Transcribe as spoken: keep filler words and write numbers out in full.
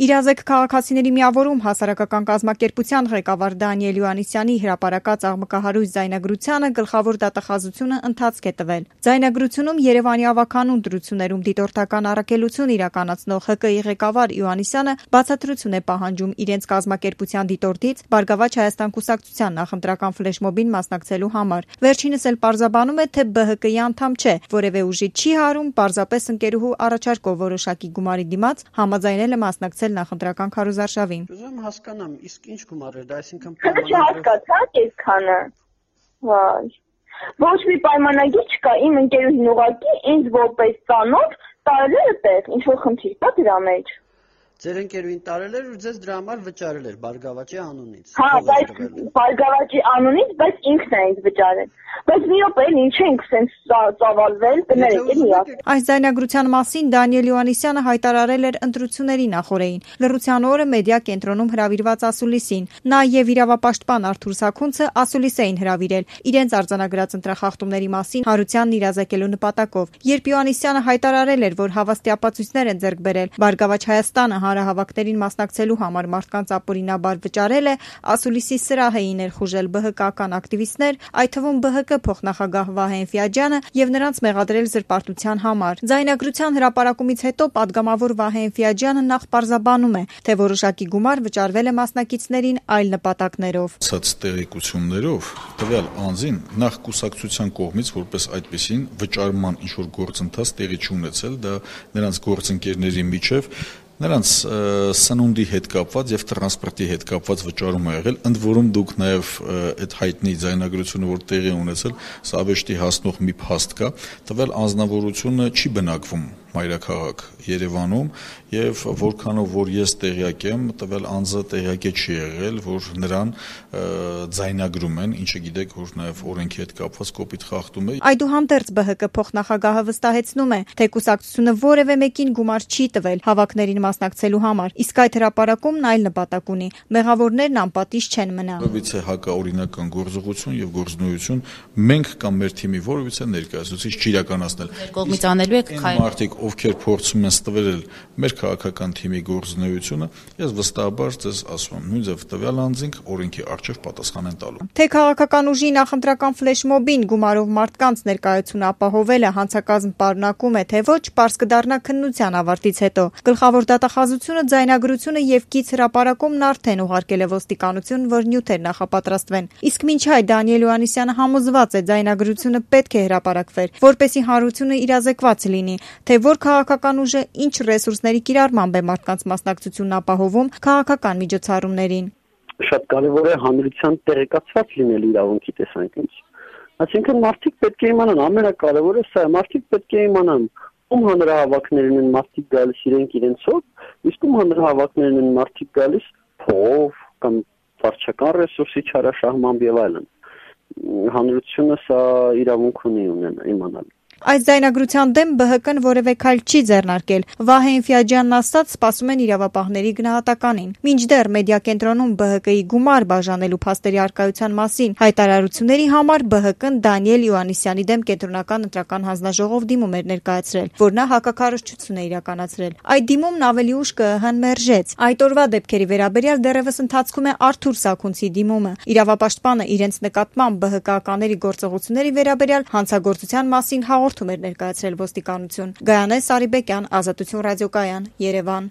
Իրազեկ քաղաքացիների միավորում հասարակական կազմակերպության ղեկավար Դանիել Հովհաննիսյանի հրապարակած աղմկահարույց ձայնագրությանը գլխավոր դատախազությունը ընթացք է տվել։ Ձայնագրությունում Երևանի ավագանուն դրություններում դիտորդական առաքելություն իրականացնող ՀԿ ի ղեկավար Հովհաննիսյանը բացատրություն է պահանջում իրենց կազմակերպության դիտորդից Բարգավաճ Հայաստան կուսակցության նախընտրական ֆլեշմոբին մասնակցելու համար։ Վերջինս էլ պարզաբանում է, թե ԲՀԿ-ի անդամ չէ, որևէ ուժի չի հարում, պարզապես ընկերուհու առաջարկով որոշակի գումարի դիմաց համաձայնել է մասնակցել նախընտրական քարոզարշավին։ Ուզում հասկանամ, իսկ ինչ գումար է դա, այսինքն չհասկացաք այսքանը։ Վայ։ Ոչ մի պայմանագիր չկա, իմ ընկերուհին ուղղակի ինձ որպես ծանոթ տարել է տեղ, ինչ որ խնդիր կա դրա մեջ։ Ձեր ընկերուհին տարել էր ու ձեզ դրա համար վճարել էր Բարգավաճի անունից։ Հա, բայց Բարգավաճի անունից, բայց ինքն է ինձ վճարել։ Բայց մի օպ էլ ինչ ենք սենց ծավալվել, դներեք էլ միակ։ Այս ձայնագրության մասին Դանիել Հովհաննիսյանը հայտարարել էր ընտրությունների նախօրեին։ Լռության օրը մեդիա կենտրոնում հրավիրված ասուլիսին։ Նա եւ իրավապաշտպան Արթուր Սաքունցը ասուլիս էին հրավիրել իրենց արձանագրած ընտրախախտումների մասին հարությանն իրազեկելու նպատակով։ Երբ Հովհաննիսյանը հայտարարել էր, որ հավաստիապացույցներ են ձեռք բերել, Բարգավաճ Հայաստանը հանրահավաքներին մասնակցելու համար մարդկանց ապօրինաբար վճարել է, ասուլիսի սրահ էին ներխուժել ԲՀԿ-ական ակտիվիստներ, այդ թվում ԲՀԿ փոխնախագահ Վահե Էնֆիաջյանը եւ նրանց մեղադրել զրպարտության համար։ Ձայնագրության հրապարակումից հետո падգամավոր Վահե Էնֆիաջյանը նախ պարզաբանում է, թե որոշակի գումար վճարվել է մասնակիցներին այլ նպատակներով։ Ցած տեղեկություններով տվյալ անձին նախ կուսակցության կողմից որպես այդպեսին վճարման ինչ որ գործընթաց տեղի չունեցել, դա նրանց գործընկերների միջև նրանց սնունդի հետ կապված եւ տրանսպորտի հետ կապված վճարում է եղել, ընդ որում դուք նաեւ այդ հայտնի ձայնագրությունը, որ տեղի ունեցել, սա ավեշտի հասնող մի փաստ կա, տվյալ անձնավորությունը չի բնակվում մայրաքաղաք Երևանում եւ որքանով որ ես տեղյակ եմ, տվյալ անձը տեղյակ է չի եղել, որ նրան ձայնագրում են, ինչը գիտեք, որ նաեւ օրենքի հետ կապված կոպիտ խախտում է։ Այդուհանդերձ ԲՀԿ փոխնախագահը վստահեցնում է, թե կուսակցությունը որևէ մեկին գումար չի տվել հավաքներին մասնակցելու համար, իսկ այդ հրապարակումն այլ նպատակ ունի։ Մեղավորներն անպատիժ չեն մնա։ Որովհետեւ հակաօրինական գործողություն եւ գործունեություն մենք կամ մեր թիմի որովհետեւ ներկայացուցիչ չիրականացնել։ Կողմից անելու եք քայլ ովքեր փորձում են ստվերել մեր քաղաքական թիմի գործունեությունը, ես վստահաբար ձեզ ասում եմ, նույն ձև տվյալ անձինք օրենքի առջև պատասխան են տալու։ Թե քաղաքական ուժի նախընտրական ֆլեշմոբին գումարով մարդկանց ներկայությունը ապահովելը հանցակազմ պարունակում է, թե ոչ, պարզ կդառնա քննության ավարտից հետո։ Գլխավոր դատախազությունը ձայնագրությունը եւ կից հրապարակումն արդեն ուղարկել է ոստիկանություն, որ նյութեր նախապատրաստվեն։ Իսկ մինչ այդ Դանիել Հովհաննիսյանը համոզված է ձայնագրությունը պետք է հրապարակվեր, որպեսզի հանրությունը իրազեկված լինի, թե որ քաղաքական ուժը ինչ ռեսուրսների կիրառմամբ է մարդկանց մասնակցությունն ապահովում քաղաքական միջոցառումներին։ Շատ կարևոր է հանրության տեղեկացված լինել իրավունքի տեսանկյունից։ Այսինքն մարդիկ պետք է իմանան, ամենակարևորը սա է, մարդիկ պետք է իմանան, ում հանրահավաքներն են մարդիկ գալիս իրենք իրենցով, իսկ ում հանրահավաքներն են մարդիկ գալիս փող կամ վարչական ռեսուրսի չարաշահմամբ եւ այլն։ Հանրությունը սա իրավունք ունի ունենա իմանալ։ Այս ձայնագրության դեմ ԲՀԿ-ն որևէ քայլ չի ձեռնարկել։ Վահե Էնֆիաջյանն ասաց, սպասում են իրավապահների գնահատականին։ Մինչդեռ մեդիա կենտրոնում ԲՀԿ-ի գումար բաժանելու փաստերի առկայության մասին հայտարարությունների համար ԲՀԿ-ն Դանիել Հովհաննիսյանի դեմ կենտրոնական ընտրական հանձնաժողով դիմում էր ներկայացրել, որ նա հակակառուցչություն է իրականացրել։ Այդ դիմումն ավելի ուշ ԿԸՀ-ն մերժեց։ Այդ օրվա դեպքերի վերաբերյալ դեռևս ընթացքում է Արթուր Սաքունցի դիմումը։ Իրավապաշտպանը իրենց նկատմամբ ԲՀԿ-ականների գործողությունների վերաբերյալ հանցագործության մասին հաղորդում էր ներկայացրել ոստիկանություն։ Գայանե Սարիբեկյան, Ազատություն ռադիոկայան, Երևան։